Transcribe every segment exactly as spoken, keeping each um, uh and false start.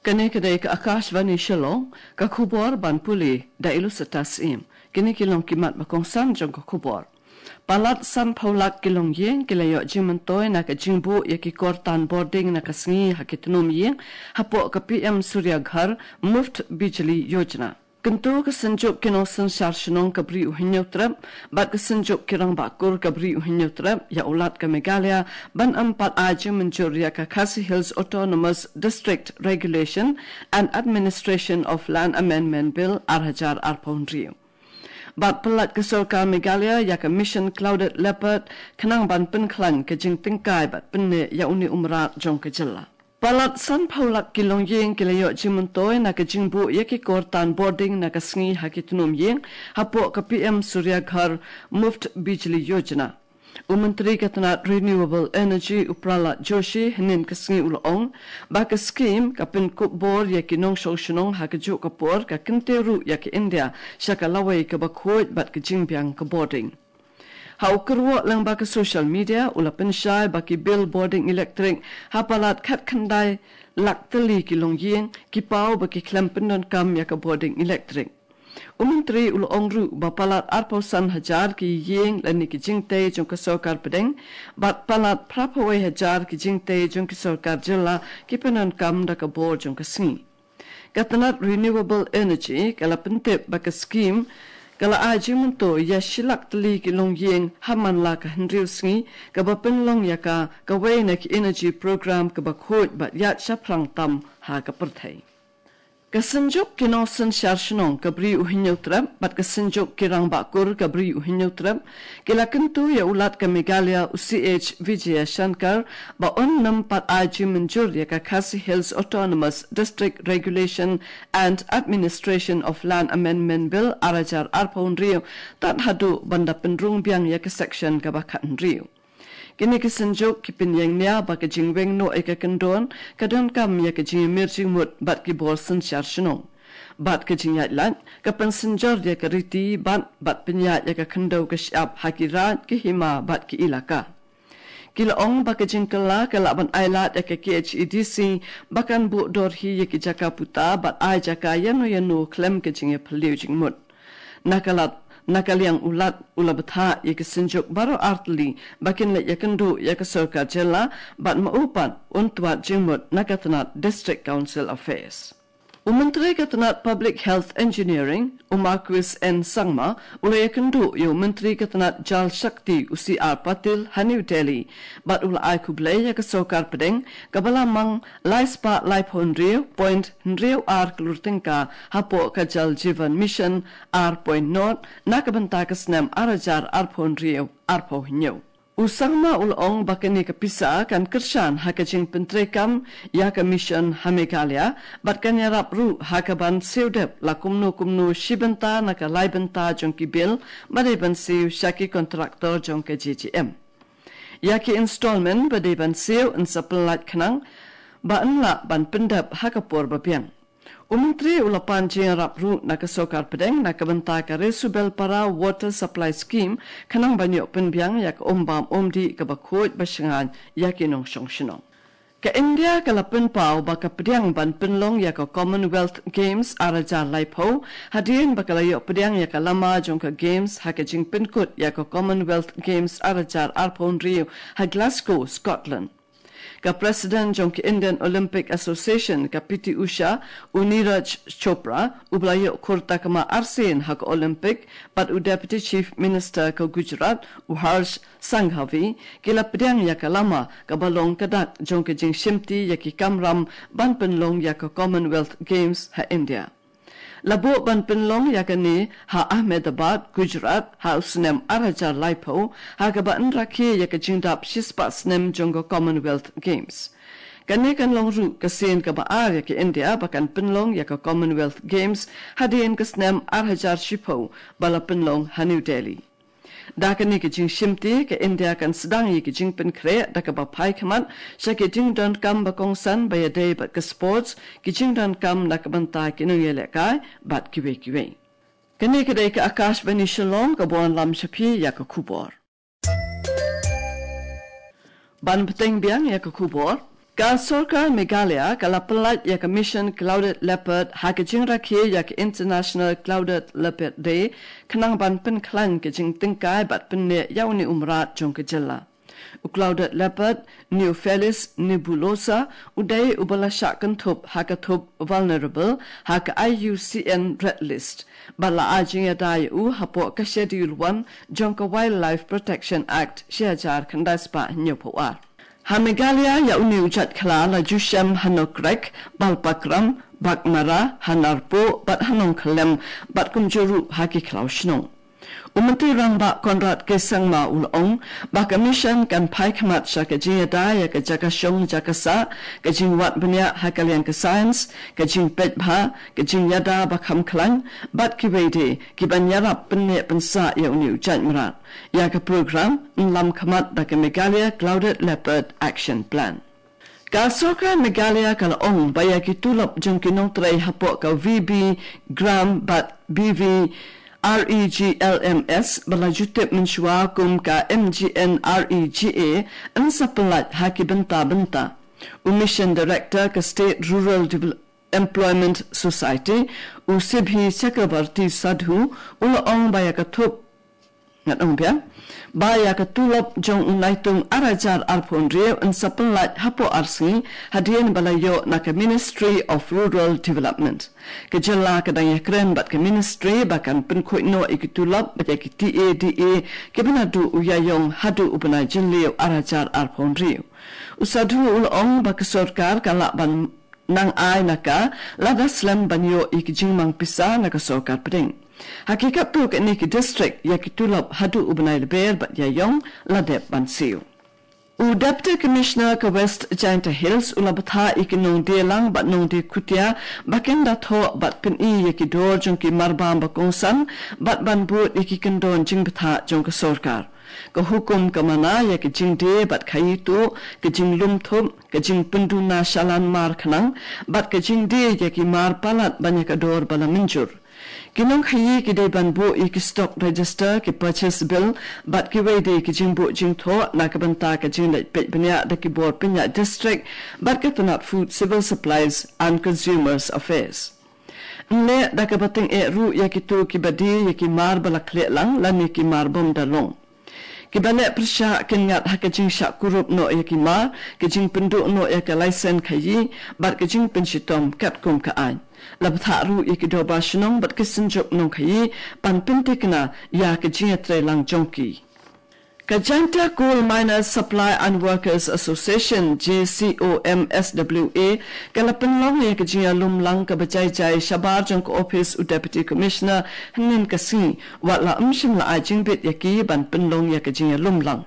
Kane ka dei ka Akashvani Shillong, ka khubor ban pule da Ilusita Syiem. Kine ki long ki mat ba kongsan jong ka khubor. Palat sanphew lak ki longïing ki la ïoh jingmyntoi na ka jingbuh ïa ki kor tan bording na ka sngi ha ki tnum ïing, hapoh ka P M Surya Ghar Muft Bijli Yojana. Kyntu ka Synjuk ki nongsynshar shnong ka Bri u Hynñiewtrep bad ka Synjuk ki rangbah kur ka Bri u Hynñiewtrep ïa u Lat ka Meghalaya ban ym pat ai jingmynjur ïa ka Khasi Hills Autonomous District Regulation and Administration of Land Amendment Bill ar hajar arphew hynriew. Bad pyllait ka sorkar Meghalaya ïa ka Mission Clouded Leopard khnang ban pynkhlaiñ ka jingtyngkai bad pynneh ïa une u mrad jong ka jylla. Palat sanphew lak ki longïing ki la ïoh jingmyntoi na ka jingbuh ïa ki kor tan bording na ka sngi ha ki tnum ïing, hapoh ka P M Surya Ghar Muft Bijli Yojana. U Myntri ka tnat Renewable Energy u Pralhad Joshi hynnin ka sngi u la ong ba ka skhim ka pynkup bor ïa ki nongshong shnong ha kajuh ka por ka kyntiew ruh ïa ka India sha ka lawei kaba khuid bad ka jingbiang ka bording. Ha u kyrwoh lyngba ka social media u la pynshai ba ki bill bording electric ha palat khatkhyndai lak tylli ki longïing ki paw ba ki khlem pyndonkam ïa ka bording electric. U Myntri u la ong ruh ba palat arphew san hajar ki ïing lane ki jingtei jong ka sorkar pdeng bad palat phraphew wei hajar ki jingtei jong ki sorkar jylla ki pyndonkam da ka bor jong ka sngi. Ka tnat Renewable Energy ka la pyntip ba ka skhim ka la ai jingmyntoi ïa shi lak tylli ki longïing ha man la ka hynriew sngi, kaba pynlong ïa ka kawei na ki energy program kaba khuid bad ïaid shaphrang tam ha ka pyrthei. Ka Synjuk ki nongsynshar shnong ka Bri u Hynñiewtrep bad ka Synjuk ki rangbah kur ka Bri u Hynñiewtrep ki la kyntu ïa u Lat ka Meghalaya u C H Vijayashankar ba un ym pat ai jingmynjur ïa ka Khasi Hills Autonomous District Regulation and Administration of Land Amendment Bill ar hajar arphew hynriew tad haduh ban da pynrung biang ïa ka section kaba khathynriew. Kine ki Synjuk ki pynïeng nia ba ka jingweng noh ïa ka kyndon ka donkam ïa ka jingïamir jingmut bad ki bor synshar shnong. Bad ka jingïaid lad ka pynsynjor ïa ka riti bad bad pynïaid ïa ka khyndew ka shyiap ha ki raid, ki hima bad ki ilaka. Ki la ong ba ka jingkylla ka lah ban ailad ïa ka K H A D C ba kan buh dor hi ïa ki jaka puta bad ai jaka ïano ïano khlem ka jingïaphylliew jingmut. Na ka lad, na ka liang u Lat u la bthah ïa ki Synjuk baroh artylli ba kin leit ïakynduh ïa ka sorkar jylla bad ma u pat un twad jingmut na ka tnat District Council Affairs. U Myntri ka tnat Public Health Engineering u Marcuise N Sangma u la ïakynduh ïa u Myntri ka tnat Jal Shakti u C R Patil ha New Delhi bad u la ai khublei ïa ka sorkar pdeng kaba la mang lai spah laiphew hynriew point hynriew ar klur tyngka hapoh ka Jal Jeevan Mission ar point nought na ka bynta ka snem ar hajar arphew hynriew arphew hynñiew. U Sangma u la ong ba kane ka pisa kan kyrshan ha ka jingpyntreikam ïa ka mission ha Meghalaya bad kan ïarap ruh ha ka ban siew dep la kumno kumno shi bynta na ka lai bynta jong ki bill ba dei ban siew sha ki kontraktor jong ka J J M. Ïa ki installment ba dei ban siew yn sa pynlait khnang ba yn lah ban pyndep ha ka por ba biang. U Myntri u la pan jingïarap ruh na ka sorkar pdeng na ka bynta ka Resubelpara Water Supply Scheme khnang ban ïoh pynbiang ïa ka um bam um dih kaba khuid ba shngaiñ ïa ki nongshong shnong. Ka India ka la pynpaw ba ka pdiang ban pynlong ïa ka Commonwealth Games ar hajar laiphew hadien ba ka la ïoh pdiang ïa ka lama jong ka Games ha ka jingpynkut ïa ka Commonwealth Games ar hajar arphew hynriew ha Glasgow, Scotland. Ka President jong ka Indian Olympic Association ka P T Usha, u Neeraj Chopra, uba la ïoh khur takma arsien ha ka Olympic, bad u Deputy Chief Minister ka Gujarat u Harsh Sanghavi ki la pdiang ïa ka lama kaba long ka dak jong ka jingshimti ïa ki kamram ban pynlong ïa ka Commonwealth Games ha India. La buh ban pynlong ïa kane ha Ahmedabad, Gujarat ha u snem ar hajar laiphew ha kaba yn rakhe ïa ka jingdap shispah snem jong ka Commonwealth Games. Kane kan long ruh ka sien kaba ar ïa ka India ba kan pynlong ïa ka Commonwealth Games hadien ka snem ar hajar shiphew ba la pynlong ha New Delhi. Da kane ka jingshimti ka India kan sdang ïa ka jingpynkhreh da kaba phai khmat sha ki jingdonkam ba kongsan ba ïadei bad ka sports, ki jingdonkam na ka bynta ki nongïalehkai bad kiwei kiwei. Kane ka dei ka Akashvani Shillong kaba wanlam sha phi ïa ka khubor. Ban bteng biang ïa ka khubor. Ka sorkar Meghalaya ka la pyllait ïa ka Mission Clouded Leopard ha ka jingrakhe ïa ka International Clouded Leopard Day, khnang ban pynkhlaiñ ka jingtyngkai bad pynneh ïa une u mrad jong ka jylla. U Clouded Leopard, Neofelis nebulosa, u dei uba la shah kynthup ha ka thup vulnerable ha ka I U C N Red List, bad la ai jingïada ïa u hapoh ka Schedule One jong ka Wildlife Protection Act shi hajar khyndai spah hynñiewphew ar. Ha Meghalaya, ïa une u jait khla la ju shem ha Nokrek, Balpakram, Baghmara, ha Narpuh bad ha Nongkhyllem, bad kumjuh ruh ha ki khlaw shnong. U Myntri Rangbah Conrad K Sangma u la ong ba ka mission kan phai khmat sha ka jingïada ïa ka jaka shong jaka sah, ka jingwad bniah ha ka liang ka science, ka jingpeit bha, ka jingïada ba kham khlaiñ, bad kiwei de kiban ïarap pynneh pynsah ïa une u jait mrad. Ïa ka program yn lam khmat da ka Meghalaya Clouded Leopard Action Plan. Ka sorkar Meghalaya ka la ong ba ïa ki tulop jong ki nongtrei hapoh ka V B Grams bad B V R E G L M S ba la ju tip mynshuwa kum ka M G N R E G A yn sa pyllait ha ki bynta bynta. U Mission Director ka State Rural Devel- Employment Society, u Sibhi Chakrabarti Sadhu, u la ong ba ïa ka thup, ngat ong biang, ba ïa ka tulop jong u Naitung ar hajar arphew hynriew yn sa pyllait hapoh ar sngi, hadien ba la ïoh na ka Ministry of Rural Development. Ka jylla ka dang ïakren bad ka Ministry ba kan pynkhuid noh ïa ki tulop bad ïa ki T A D A kiba naduh u Ïaïong haduh u bnai Jylliew ar hajar arphew hynriew. U Sadhu u la ong ba ka sorkar ka lah ban nang ai na ka, lada slem ban ïoh ïa ki jingmang pisa na ka sorkar pdeng. Ha ki katto katne ki district, ïa ki tulop haduh u bnai Lber bad Ïaïong la dep ban siew. U Deputy Commissioner ka West Jaintia Hills u la bthah ïa ki nongdie lang bad nongdie khutia ba kin da thoh bad pyni ïa ki dor jong ki marbam ba kongsan bad ban bud ïa ki kyndon jingbthah jong ka sorkar. Ka hukum ka mana ïa ka jingdie bad khaïi tuh, ka jinglum thup, ka jingpynduna shalan mar khnang, bad ka jingdie ïa ki mar palat ban ïa ka dor ba la mynjur. Ki nongkhaïi ki dei ban buh ïa ki stock register, ki purchase bill, bad kiwei de ki jingbuh jingthoh na ka bynta ka jingleit peit bniah da ki bor pynïaid district bad ka tnat Food, Civil Supplies and Consumers Affairs. Yn leh da kaba tyngeh ruh ïa kito kiba die ïa ki mar ba la khleh lang lane ki mar bym da long. Kiba leh pyrshah kin ngat ha ka jingshah kurup noh ïa ki mar, ka jingpynduh noh ïa ka laisen khaïi, bad ka jingpynshitom katkum ka aiñ. La bthah ruh ïa ki dorbar shnong bad ki synjuk nongkhaïi ban pynthikna ïa ka jingïatreilang jong ki. Ka Jaintia Coal Miners Supply and Workers Association, J C O M S W A, ka la pynlong ïa ka jingïalum lang kaba jai jai shabar jong ka ophis u Deputy Commissioner hynnin ka sngi, wat la ym shym la ai jingbit ïa ki ban pynlong ïa ka jingïalum lang.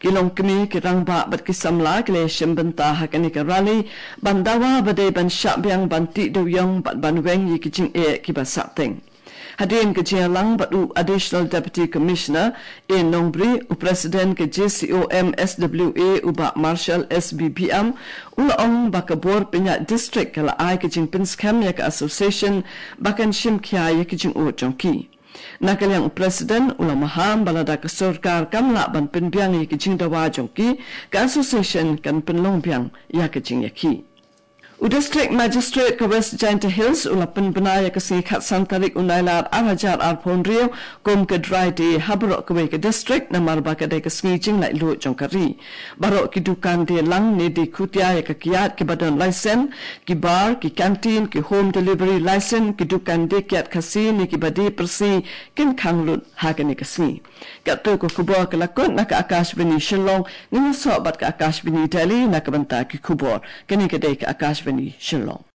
Ki longkmie, ki rangbah bad ki samla ki la ïashim bynta ha kane ka rally ban dawa ba dei ban shah biang ban tih dewiong bad ban weng ïa ki jingeh kiba sahteng. Hadien ka jingïalang bad u Additional Deputy Commissioner A Nongbri, u President ka J C O M S W A u Bah Marshall S B B M, u la ong ba ka bor pynïaid district ka la ai ka jingpynskhem ïa ka association ba kan shim khia ïa ki jingud jong ki. Na ka liang u President u la maham ba lada ka sorkar kam lah ban pynbiang ïa ki jingdawa jong ki, ka association kan pynlong biang ïa ka jingïakhih. U District Magistrate ka West Jaintia Hills u la pynbna ïa ka sngi khatsan tarik u Nailar ar hajar arphew hynriew kum ka Dry Day ha baroh kawei ka district namar ba ka dei ka sngi jinglaitluid jong ka ri. Baroh ki dukan die lang ne die khutia ïa ka kiad kiba don laisen, ki bar, ki kantin, ki home delivery laisen, ki dukan die kiad Khasi ne kiba die Parsi kin khang lut ha kane ka sngi. Katto ka khubor ka la kut na ka Akashvani Shillong, ngin ïasoh bad ka Akashvani Delhi na ka bynta ki khubor. Kane ka dei ka Akashvani Shillong.